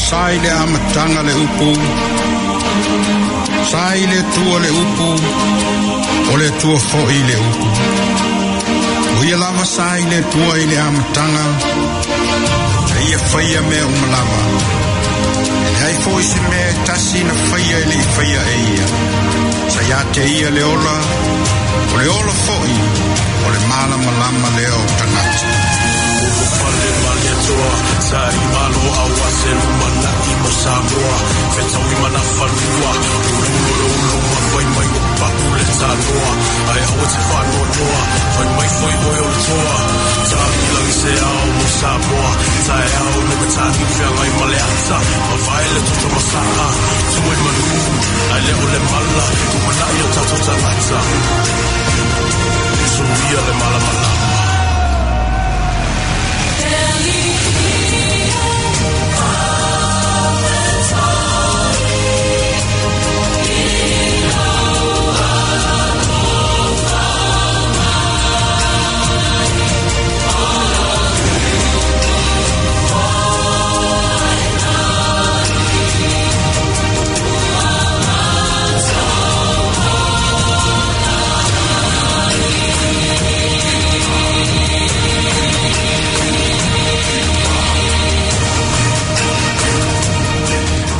Sa i le amataga le upu, sa i le Atua le upu, o le Atua foi le upu. O ia lava sa i le Atua i le amataga, na ia faia mea uma lava. E leai foi se mea e tasi na faia e le i faia e ia. Sa ia te ia le ola, o le ola foi, o le malamalama lea o tagata. Ulufale ma le Atua, sa i malo aua se lumanai mo Samoa, fetaui ma nafanua, uluulu le ulu ma fai mai o papu le tanoa, ae aua te faanoanoa, fai mai foi oe o le toa, tagilangi se ao mo Samoa, taeao le matagi feagai ma le ata, mavae le toto masaa, tua i manu, ae le o le mala, lumanai o tatou tagata. Suluia le malamalama.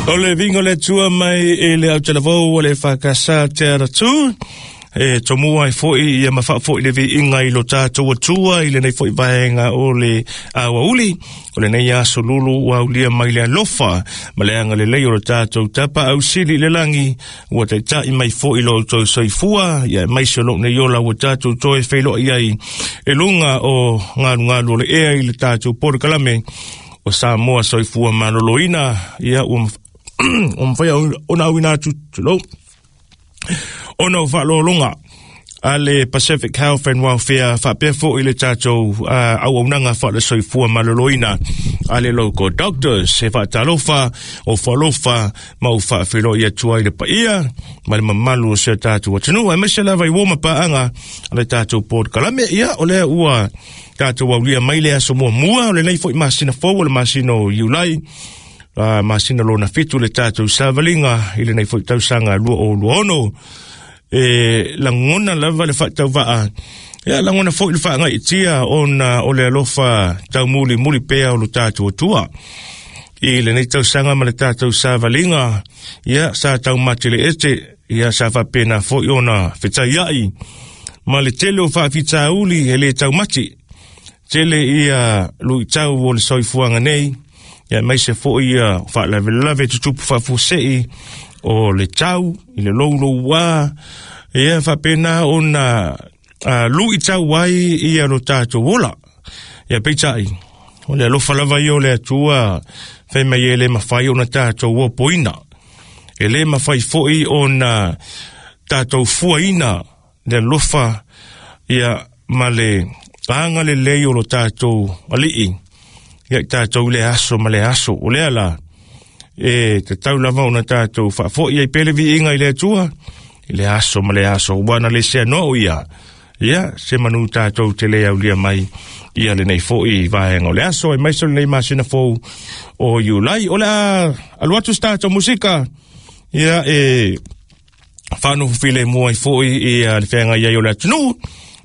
O le viga o le Atua mai i le autalavou o le EFKS Te Aratū, e tomua ai foi ia ma faafoi le viiga i lo tatou Atua i lenei foi vaega o le aoauli o lenei aso lulu ua aulia mai le alofa ma le agalelei o lo tatou Tapaau Sili i le lagi ua taitai mai foi lo outou soifua ia aemaise o lou nei ola ua tatou toe feiloai ai i luga o galugalu o le ea i le tatou polokalame o Samoa Soifua Maloloina ia ua mafai ona auina atu tulou ona o faaaloaloga a le Pacific Health and Welfare faapea foi le tatou auaunaga faale-soifua maloloina a le Local Doctors. E faatalofa o faalofa ma o faafeiloai atu ai le paia ma le mamalu o si o tatou atunuu, aemaise lava i uo ma paaga a le tatou polokalame. Ia, o lea ua tatou aulia mai le aso muamua o lenei foi masina fou o le masina o Iulai, masina lona 7 le tatou savaliga i lenei foi tausaga 2026. E lagona lava le faatauvaa, ia lagona foi le faagaitia ona o le alofa taumulimuli pea o lo tatou Atua i lenei tausaga ma le tatou savaliga. Ia sa taumatele ete, ia sa faapena foi ona fetaiai ma le tele o faafitauli e le taumati tele ia luitau o le soifuaga nei, ia aemaise foi ia faalavelave tutupu faafuasei o le tau i le louloua, ia faapena ona luitau ai ia lo tatou ola. Ia peitai, o le alofa lava ia o le Atua fai mai e le mafai ona tatou opoina, e le mafai foi ona tatou fuaina le alofa ia ma le agalelei o lo tatou alii ia i tatou le aso ma le aso. O lea la e tatau lava ona tatou faafoi ai pea le viiga i le Atua i le aso ma le aso, ua na le sea noa ia ia se manu tatou te le aulia mai ia lenei foi vaega o le aso, aemaise o lenei masina fou o Iulai. O le a alu atu se tatou musika ia e whaanofu file mua i foi i le whenga i o le atunuu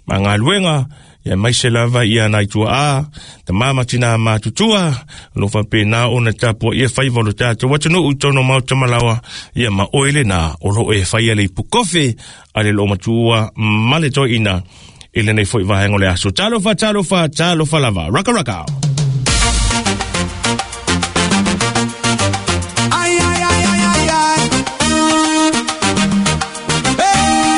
ma galuega, ia aemaise lava ia nai tuaa tamama tina matutua lo faapena ona tapuaia faiva o lo tatou atunuu i totonu o maota malaoa, ia ma oe lena o lo e faia le ipu kofe a le loomatua ma le toeaina i lenei foi vaega o le aso. Talofa, talofa, talofa lava. Raka, raka. Ai, ai, ai, ai, ai, ai. Hey!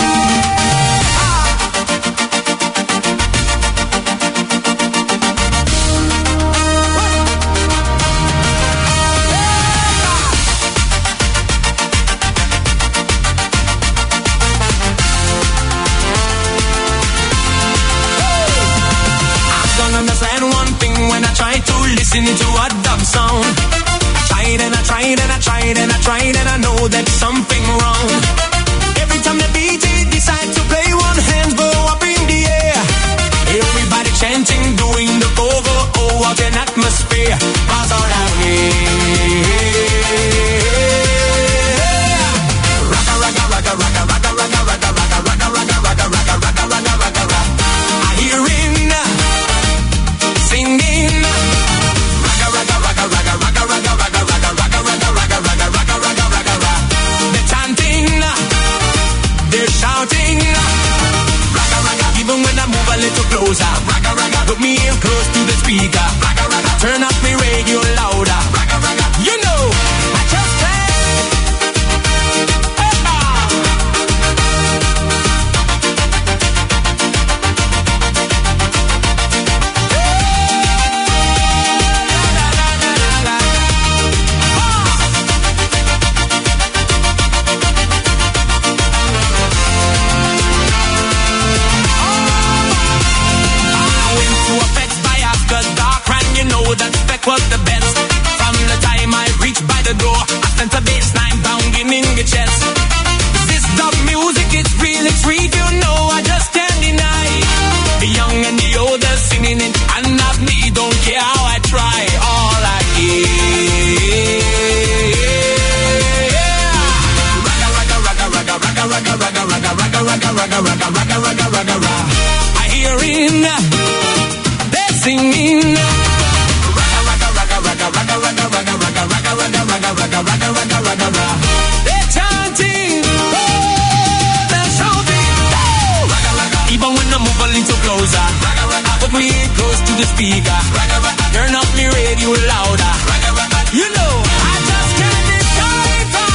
I don't understand one thing when I try to listen to a dub song. Tried and I tried and I tried and I tried and I know that something wrong. Every time the DJ decide to play, one hand go up in the air. Everybody chanting, doing the pogo. Oh, what an atmosphere. Buzz all down here. speaker. Turn up me radio louder. You know, I just can't. I went to a fetch by after dark, and you know that spec was the best. From the time I reached by the door, I felt a bassline pounding in the chest. This dub music, it's really sweet, you know I just can't deny. The young and the old are singing it, and not me, don't care how I try. All I hear. Ragga, ragga, ragga, ragga, ragga, ragga, ragga, ragga, ragga, ragga, ragga, ragga, ragga, ragga, ragga, ragga. I hear in, they're singing. Ragga, ragga, ragga, ragga, ragga, ragga, ragga, ragga, ragga, ragga, ragga, ragga, ragga, ragga, ragga, ragga. They're chanting, oh, they're shouting, oh. Ragga, ragga. Even when I move a little closer, ragga, ragga. Put me close to the speaker, ragga, ragga. Turn up me radio louder, ragga, ragga. You know, I just can't decipher.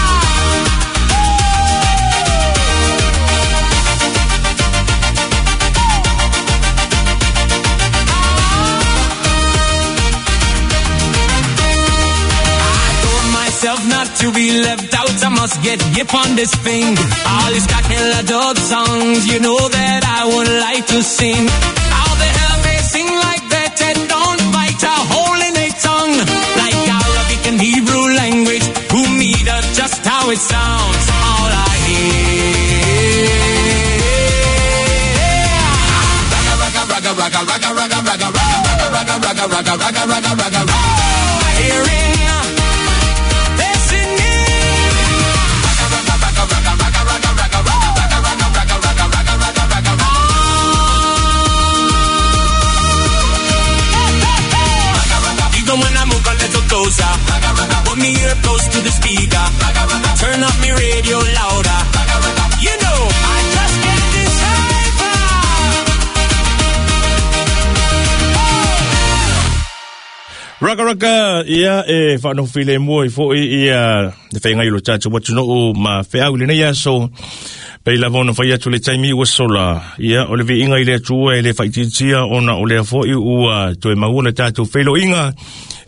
I told myself not to be left out. I must get hip on this thing. All these cocktail dub songs, you know that I would like to sing. How the hell they sing like that and don't bite a hole in a tongue? Like Arabic and Hebrew language, who need just how it sounds. All I hear. Ragga, ragga, ragga, ragga, ragga, ragga, ragga, ragga, ragga, ragga, ragga, ragga, ragga, ragga. Hearing, they're singing. Ragga, ragga, ragga, ragga, ragga, ragga, ragga, ragga, ragga, ragga, ragga, ragga, ragga, ragga. Even when I move a little closer, put me ear close to the speaker. Turn up me radio louder. You know, I just can't decipher. Raka raka ia e whanofile mua i fo ia te whainga i lo tātou watuno'u ma wheau le nei aso. Pei lava ona whai atu le taimi ua sola. Ia o le viinga i le atua e le whaititia ona o lea foi ua toe maua le tātou whailoinga.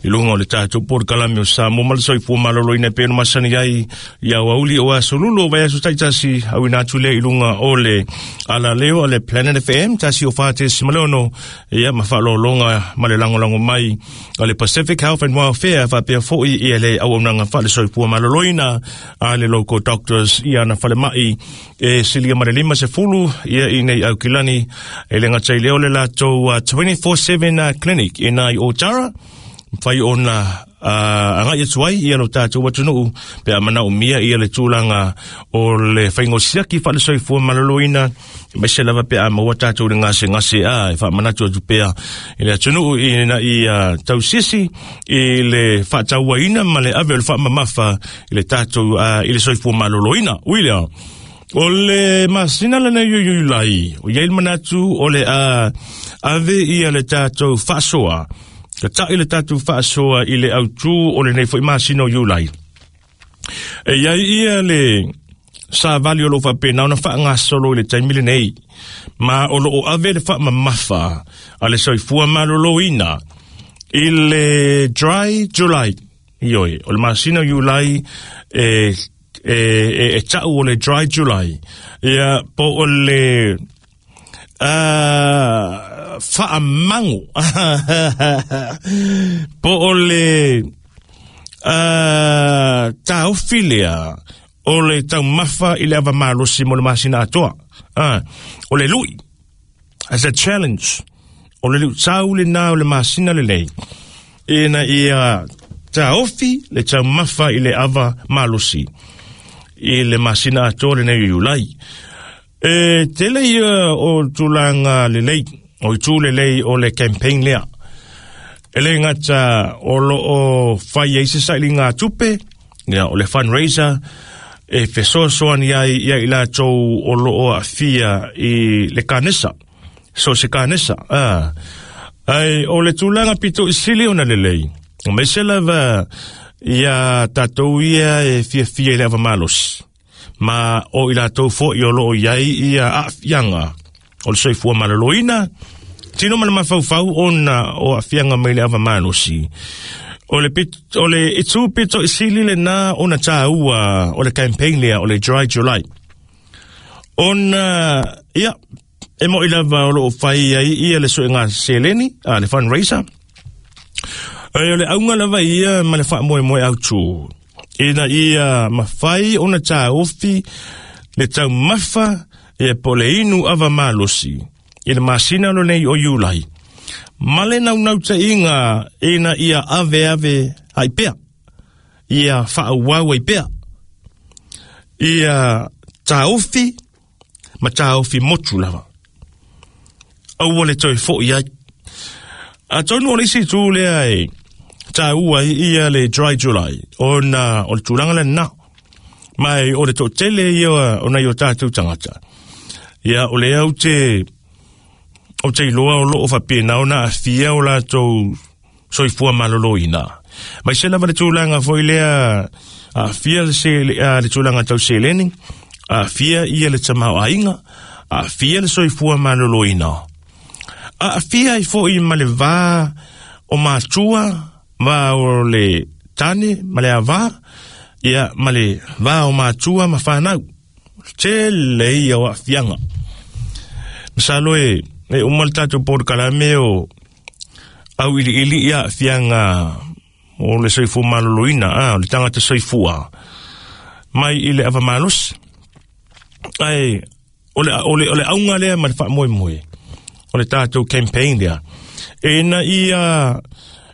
I lunga o le tātou porokalame o Samoa ma le soifua maloloina e pei ona masani ai i aoauli o aso lulu o vaiaso taitasi auina atu lea i luga o le alaleo a le Planet FM 104.6 ia ma faalologa ma le lagolago mai a le Pacific Health and Welfare faapea foʻi ia le auaunaga faalesoifua maloloina a le Local Doctors ia na falemai e silia ma le 50 ia i nei aukilani e le gata i lea o le latou 24/7 clinic i nai o Tara fai ona agai atu ai ia lo tātou atunuu pe a manaomia ia le tulaga o le faigosiaki faalesoifua maloloina maise lava pe a maua tātou le gasegase a e faamanatu atu pea i le atunuu ina ia tausisi i le faatauaina ma le ave o le faamamafa i le tātou i le soifua maloloina. Ui lea o le masina lenei o Iulai o iai le manatu o le ave ia le tātou faasoa ka taʻi le tatou faasoa i le autū o lenei foʻi masina o Iulai. E iai ia le savali o loo faapena ona faagasolo i le taimi lenei ma o loo ave le faamamafa a le soifua maloloina i le Dry July. Ioe, o le masina o Iulai e taʻu o le Dry July. Ia po o le faamango po o le taofi lea o le taumafa i le avamalosi mo le masina atoa. O le lui as a challenge o le luʻutau lenā o le masina lelei ina ia taofi le taumafa i le avamalosi i le masina atoa lenei o Iulai. E tele ia o tulaga lelei o itu lelei o le campaign lea. E le gata o loo fai ai se sailiga tupe ia o le fundraiser e fesoasoani ai ia i latou o loo aafia i le kanesa. So se kanesa. Ai o le tulaga pito i sili ona lelei, aemaise lava ia tatou ia e fiafia i le ava malosi, ma o i latou foi o loo i ai ia aafiaga o le soifua maloloina, tino ma le mafaufau ona o aafiaga mai le ava malosi. O le, pit, o le itu pito i sili lena ona tāua o le campaign lea o le Dry July. Ona, ia, e mo'i lava o loo fai ai ia le suega seleni, a le fundraiser. Ai o le auga lava ia ma le faamoemoe autū. Ina ia mafai ona taofi le taumafa ia po le inu ava malosi i le masina lo nei o Iulai. Ma le naunautaiga ina ia ave ave ai pea, ia faaauau ai pea, ia taofi ma taofi motu lava. Aua le toe fo'i ai. Atonu o le isi itu lea e tāua ai ia le Dry July, ona o le tulaga lena. Ma o le toatele ia o nai o tātou tagata. Ia, o lea ou te, ou te iloa o loo faapena ona aafia o latou soifua maloloina. Mai se lava le tulaga foi lea aafia le, se, le tulaga tau seleni, aafia ia le tamaoaiga, aafia le soifua maloloina. Aafia ai foi ma le va o matua, va o le tane ma le avā, ia ma le va o matua ma whanau. Tele ia o aafiaga. Masalo e, e uma le tatou polokalame o auiliili ia aafiaga o le soifua maloloina, a, o le tagata soifua mai i le ava malosi. Ae o le, o le, o le auga lea ma le faamoemoe o le tatou campaign lea, ina ia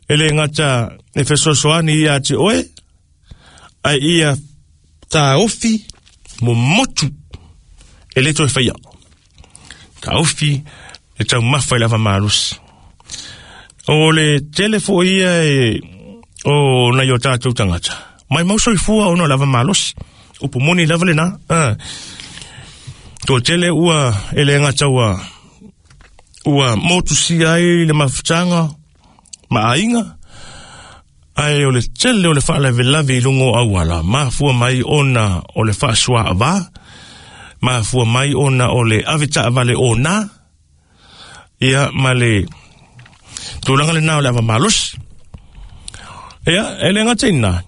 e le gata e fesoasoani ia te oe, ae ia taofi momotu e le toe faia. Taofi e taumafa i le ava malosi. O le tele foi ia e o nai o tātou tagata. Mai mau soifua ona o le ava malosi. Upu moni lava lena. Ah. Toatele ua e le gata ua ua motusia ai le mafutaga ma aiga, ae o le tele o le faalavelave i luga o auala, mafua mai ona o le faasuaava, mafua mai ona o le ave taavale ona, ia ma le tulaga lena o le ava malosi. Ia, e le gata i lena,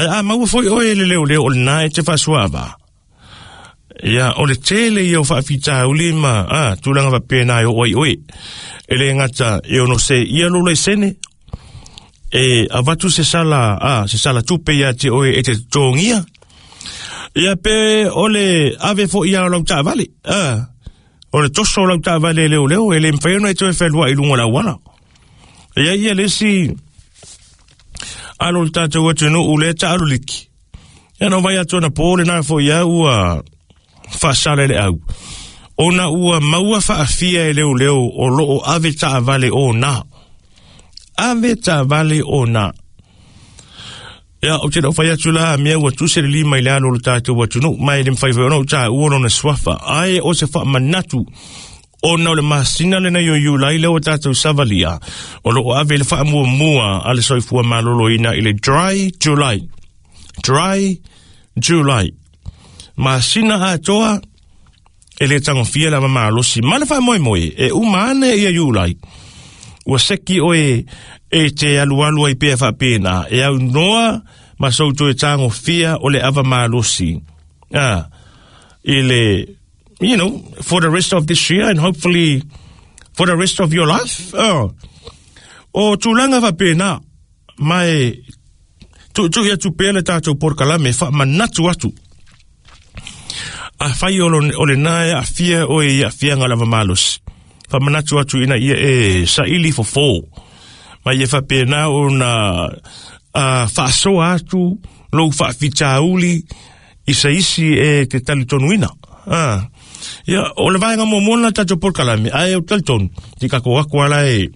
ae a maua foi oe e le leoleo o lena e te faasuaava, Ia, o le tele ia o faafitauli ma a, tulaga faapena e oo ai oe. E le gata e ono se ia lou laisene, e avatu se sala, a, se sala tupe ia te oe e te totogia. Ia pe o le ave foi ia o lau taavale, a, o le toso o lau taavale e leoleo, e le mafai ona e toe fealuai i luga o le auala. Ia ia le isi alo o le tatou atunuu lea taalo liki. Ia na vai atu ana pō lena foi au ua faasala i le au. Ona ua maua faafia e leoleo o loo ave taavale ona. Ave taavale ona. Ia, ou te le o fai atu la, mea ua tusi le lima i le alo o le tatou atunuu, ma e le mafai foi ona ou taua lona suafa. Ae o se faamanatu, ona o le masina lenei o Iulai lea ua tatou savalia, o loo ave le faamuamua a le soifua maloloina i le Dry July. Dry July. Masina atoa e le tagofia le ava malosi. Ma le faamoemoe, e uma ane ia Iulai, ua seki oe e te alualu ai pea faapena, e aunoa ma sou toe tagofia o le ava malosi. Ah, i le, you know, for the rest of this year and hopefully for the rest of your life. Oh. O tulaga faapena, ma e tuitui atu pea le tatou polokalame e faamanatu atu. Afai o, o lena e aafia oe i aafiaga lava malosi, faamanatu atu ina ia e saili fofo, ma ia faapena ona faasoa atu lou faafitauli i se isi e te talitonuina. Ah. Ia, o le vaega muamua lena tatou polokalame, ae ou te talitonu, te kako aku ala e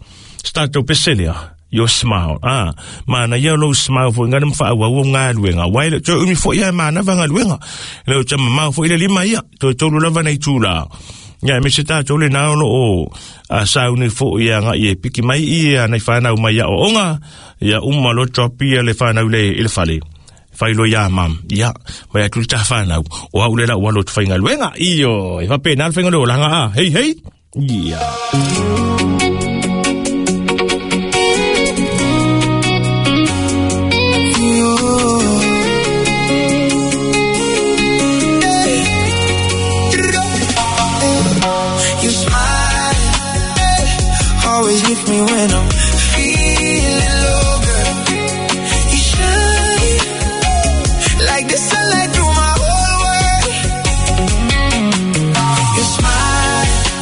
se tatou pese lea, your smile. Ah, mana ia lou smile foi ngana mawhaau au galuega. Wai le toe umi foi ia e manava galuega. Le o te mamao foi le lima ia, toe tolu lava nei tūlā. Ia, me se tātou le nā o o a sauni fo ia ngā i e piki mai ia nei whānau mai ia o onga, ia uma lo drop ia le whānau le i le whale. Whai ia mam, ia, mai atu le tā whānau, o au le la ua lo te whainga luenga, iyo, e whape nā le whainga le o langa a, hei hei, ia. You smile, always lift me when I'm feeling low, girl. You shine like the sunlight through my whole world.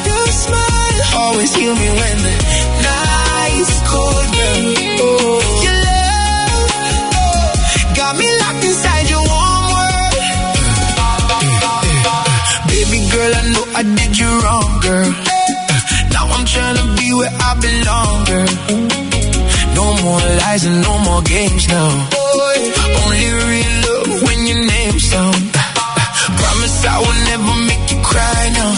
Your smile, always heal me when the night's cold, girl. Oh, your love got me locked inside your warm world. Baby girl, I know I did you wrong, girl. Now I'm tryna be where I belong, girl. No more lies and no more games now. Only real love when your name's down. Promise I will never make you cry now.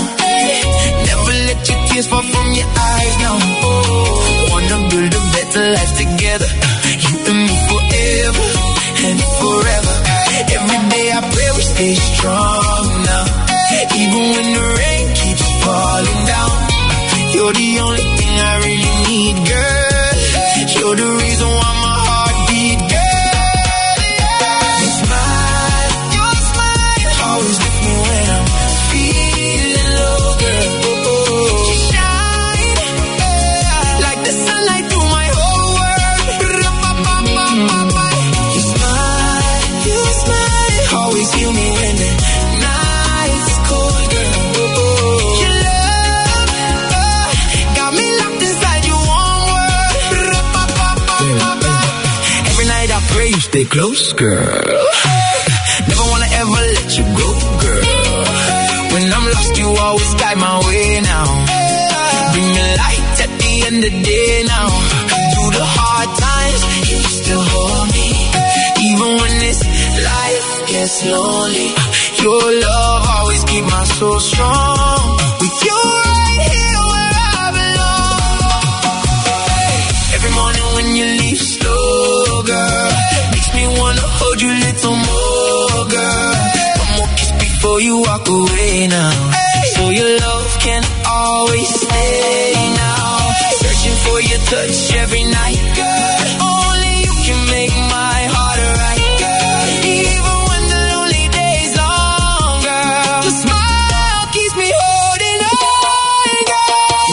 Never let your tears fall from your eyes now. Wanna build a better life together. You and me forever and forever. Every day I pray we stay strong now. Even when the rain keeps falling down. You're the only thing I really need, girl. You're the reason why my heart beat, girl. Your smile, always lift me when I'm feeling low, girl. You shine like the sunlight through my whole world. Your smile, always heal me when the night's cold, girl. Your love got me locked inside your warm world. Every night I pray you stay close, girl. Never wanna ever let you go, girl. When I'm lost, you always guide my way now. Bring me light at the end of the day now. Through the hard times, you still hold me. Even when this life gets lonely, your love always keep my soul strong. With you right here where I belong. Every morning when you leave slow, girl, makes me wanna hold you a little more, girl. One more kiss before you walk away now. So your love can always stay now. Searching for your touch every night, girl. Only you can make my heart right, girl. Even when the lonely days long, girl, your smile keeps me holding on, girl.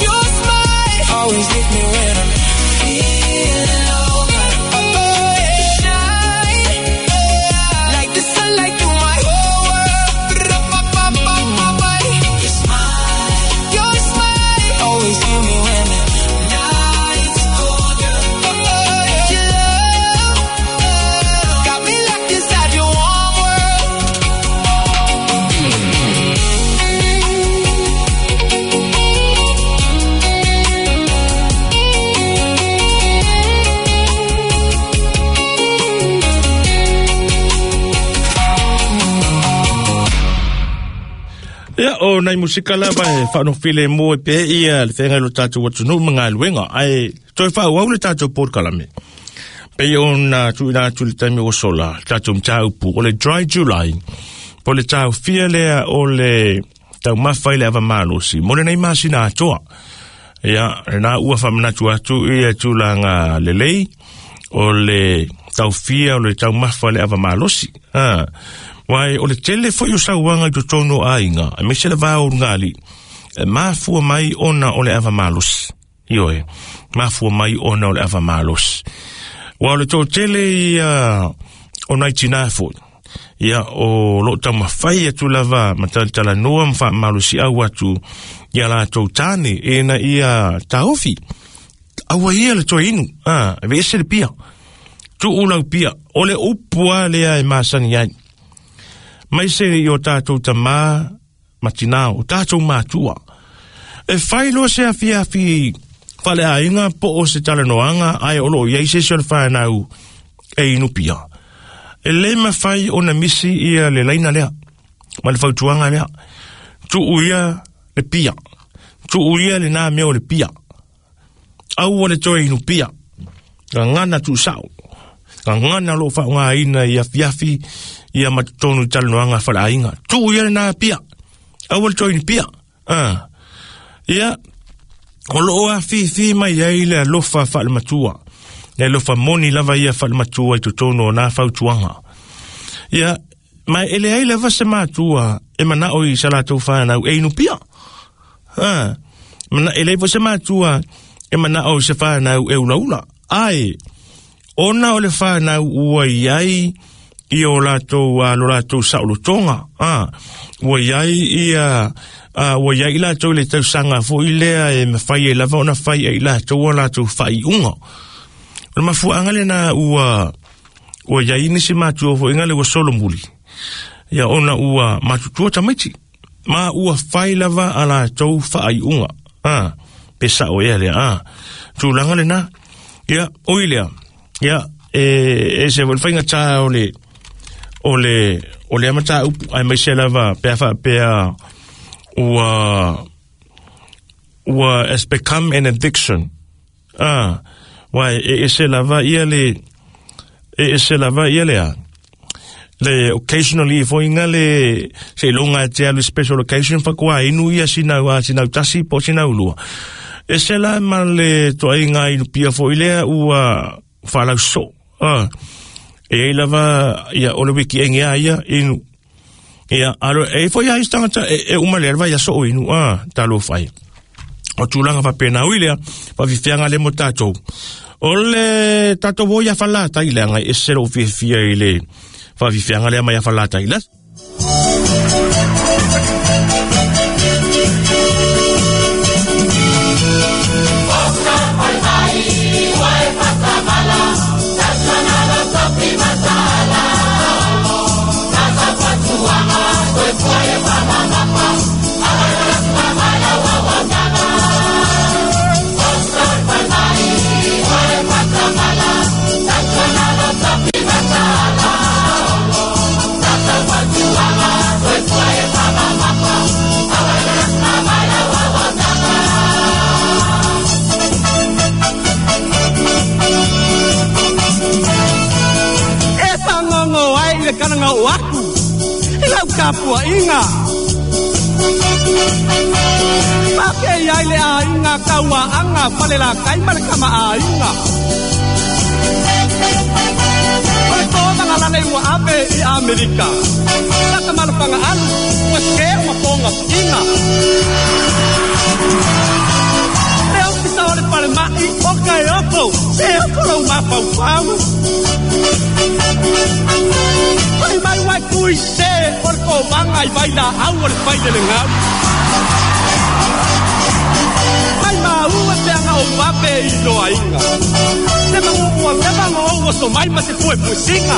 Your smile always lift me when I'm feeling low, girl. You shine like the sunlight through my whole world. Your smile, always heal me when the night's cold, girl. Your love got me locked inside your warm world. Ia, o nai musika lava e whanofile mō e pe ia le whenga lo tātou watunu mga luenga. Ai, toi wha au le tātou pōtkalame. Pe o na tuina atu le taimi o sola, tātou mtāupu, o le Dry July, po le tāu fia lea o le tau mawhai le ava malosi. Mo le nei masina atoa. Ia, nā ua whamanatu atu ia tūlanga lelei, o le tau fia o le tau mawhai le ava malosi. Ha. Wai, o le tele foi o sauanga i totonu a inga, e mese le vāo ngali, e mafua mai ona o le ava malosi. Ioe, mafua mai ona o le ava malosi. Wa o le tō tele ia o nai tina foi. Ia o lo tau mawhai atu lava, matalitala noa mwha malosi au atu, ia la tau tāne, e na ia taofi. Aua ia le toi inu, e vese le pia. Tu ulau pia, o le upua lea e masani ai. Mai se i o tātou tamā, matinā, o tātou mātua. E whai loa se awhi awhi whale a inga po o se talanoanga ai o lo iai se se o le whanau e inupia. E le mawhai o na misi ia le laina lea, ma le fautuanga lea. Tuu ia le pia. Tuu ia le nā mea o le pia. Aua le toe inu pia. Gagana tuusao. Gagana o loo faaaogāina i afiafi ia ma totonu i talanoaga faleaiga. Tuu ia lenā pia. Aua le toe inu pia. Ah. Ia, o loo afifi mai ai le alofa faalematua. Le alofa moni lava ia faalematua i totonu o nā fautuaga. Ia, ma e leai lava se matua e manao i sa latou fanau e inu pia. Ah. Mana e leai foi se matua e manao i se fanau e ulaula. Ae, ona o le fanau ua iai i o latou lo latou saolotoga. Ah, ua iai ia ua iai i latou i le tausaga foi lea e mafai ai lava ona fai ai latou a latou faaiuga. O le mafuaaga lena ua iai nisi matua foi le ua solomuli. Ia ona ua matutua tamaiti. Ma ua fai lava a latou faaiuga. Ah, pe sao ea lea. Ah, tulaga lena. Ia, oi lea. Ia, e se foi faiga tā o le o le mataupu ai mai se lava pe fa pe ua has become an addiction. Ah, wai e se lava ia le e se lava ia le le occasionally foi le se longa te alu special occasion fa kwa inu ia sinau a sinau tasi po sinau lua. E se la ma le toaiga inu pia foi lea ua whalauso. Ah, e ei lava ia o le wiki enge a ia inu. Ia alo e foi ai tangata e uma le lava ia so inu ah talo fai. O tulaga faapena ui lea faafifiaga le mo tatou. O le tatou o ia falata i leaga e ese lou fiafia i le faafifiaga lea mai ia falata i la. Aku lau kapua inga Pake iai le ainga kaua anga pale la kai male kama ainga Ole ko manga lale ua ave i Amerika Laka malapanga alu ua ske uma ponga inga Le ofisa o le pale mai o kai oko Se oko lau mapau pau Mai mai wai kui se o le kovanga i vai la au o le fai le ngau. Mai mau e peanga o wape i loa inga. Te mangu ua leva ngo o so mai ma se pue pusinga.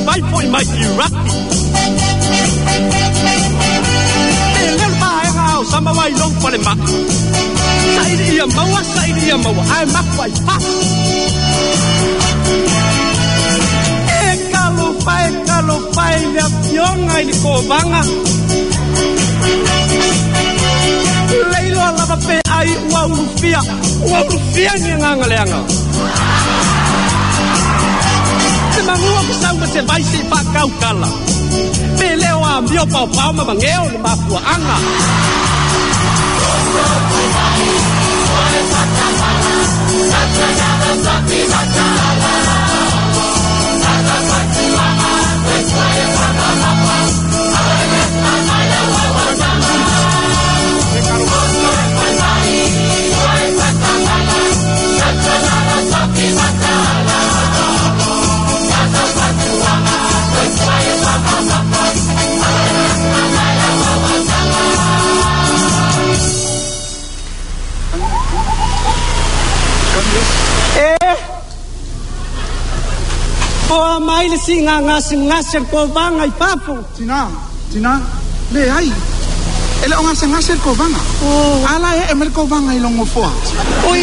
Mai foi mai Iraki. E leo maenga au sama wai long pale ma. Saili ia maua, saili ia maua, ai maku ai pa. E kalo pai le afionga i le kovanga. Leilo lava pe ai ua ulufia ni nganga leanga. Te mangua ke sau ma se vai se whakau kala. Pe leo a mio pau pau ma mangeo le mafua anga. O a mai le siga gasegase le kovaga i fafo. Tina, tina, leai. E le o gasegase le kovaga. A la e ee mai le kovaga i lou gofoa. Oi,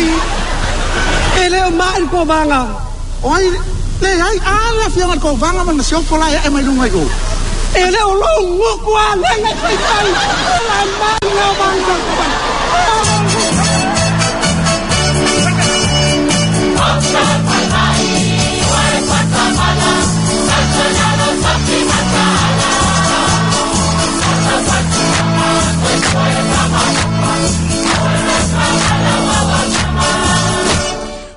e le o mai le kovaga. O ai, leai, a le afioga i le kovaga ma le masiofo la e ee mai luga i o. E le o lou gutu alega e faifai. O la mai le kovaga.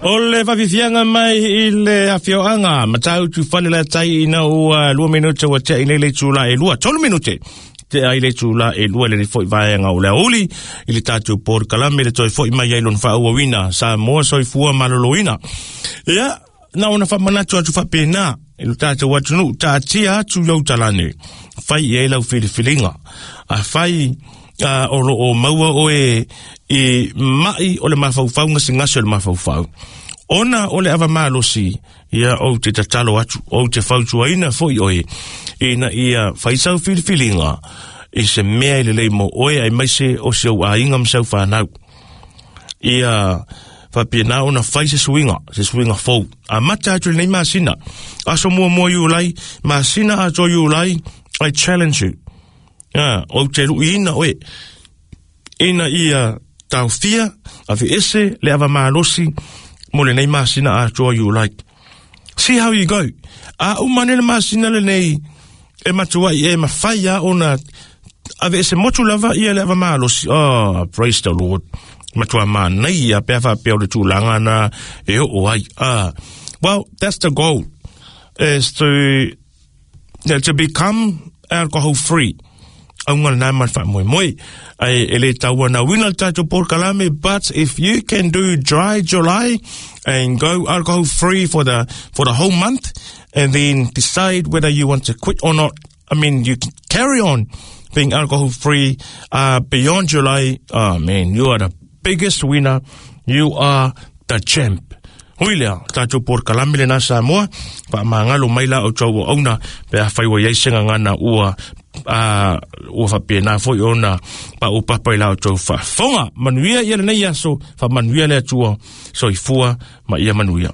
O le faafiafiaga mai i le afioaga Matautu Falelatai ina ua 2 minute ua tea i nei le itula e 2, 3 minute tea i le itula e 2 lenei foi vaega o le aoauli i le tatou polokalame le toe foi mai ai lona faaauauina Samoa Soifua Maloloina. Ia, na ona faamanatu atu faapena i lo tatou atunuu, taatia atu i ou talane, fai i ai lau filifiliga. A fai o lo o maua oe i mai o le mafaufau gasegase o le mafaufau, ona o le ava malosi, ia ou te tatalo atu, ou te fautuaina foi oe, ina ia fai sau filifiliga i se mea e lelei mo oe aemaise o si ou aiga ma si au fanau. Ia faapena ona fai se suiga, se suiga fou. Amata atu i lenei masina, aso muamua Iulai, masina atoa Iulai, I challenge you. Ou te luiina oe, ina ia taofia, aveese le ava malosi mo lenei masina atoa Iulai. See how you go. A uma ane le masina lenei, e matuai e mafai a ona aveese motu lava ia le ava malosi. Oh, praise the Lord. Matua manaia pe a faapea o le tulaga na e oo ai. Well, that's the goal, is to become alcohol free. Auga lena ma le faamoemoe. Ai e le tauanauina le tatou polokalame, but if you can do dry July and go alcohol free for the whole month and then decide whether you want to quit or not, I mean, you can carry on being alcohol free beyond July. Oh man, you are the biggest winner. You are the champ. Hui lea, tatou polokalame lena Samoa, faamagalo mai la outou auauna pe afai ua i ai se gagana ua ua faapena foi ona paupapa i la outou faafofoga. Manuia ia lenei aso, faamanuia le Atua, soifua ma ia manuia.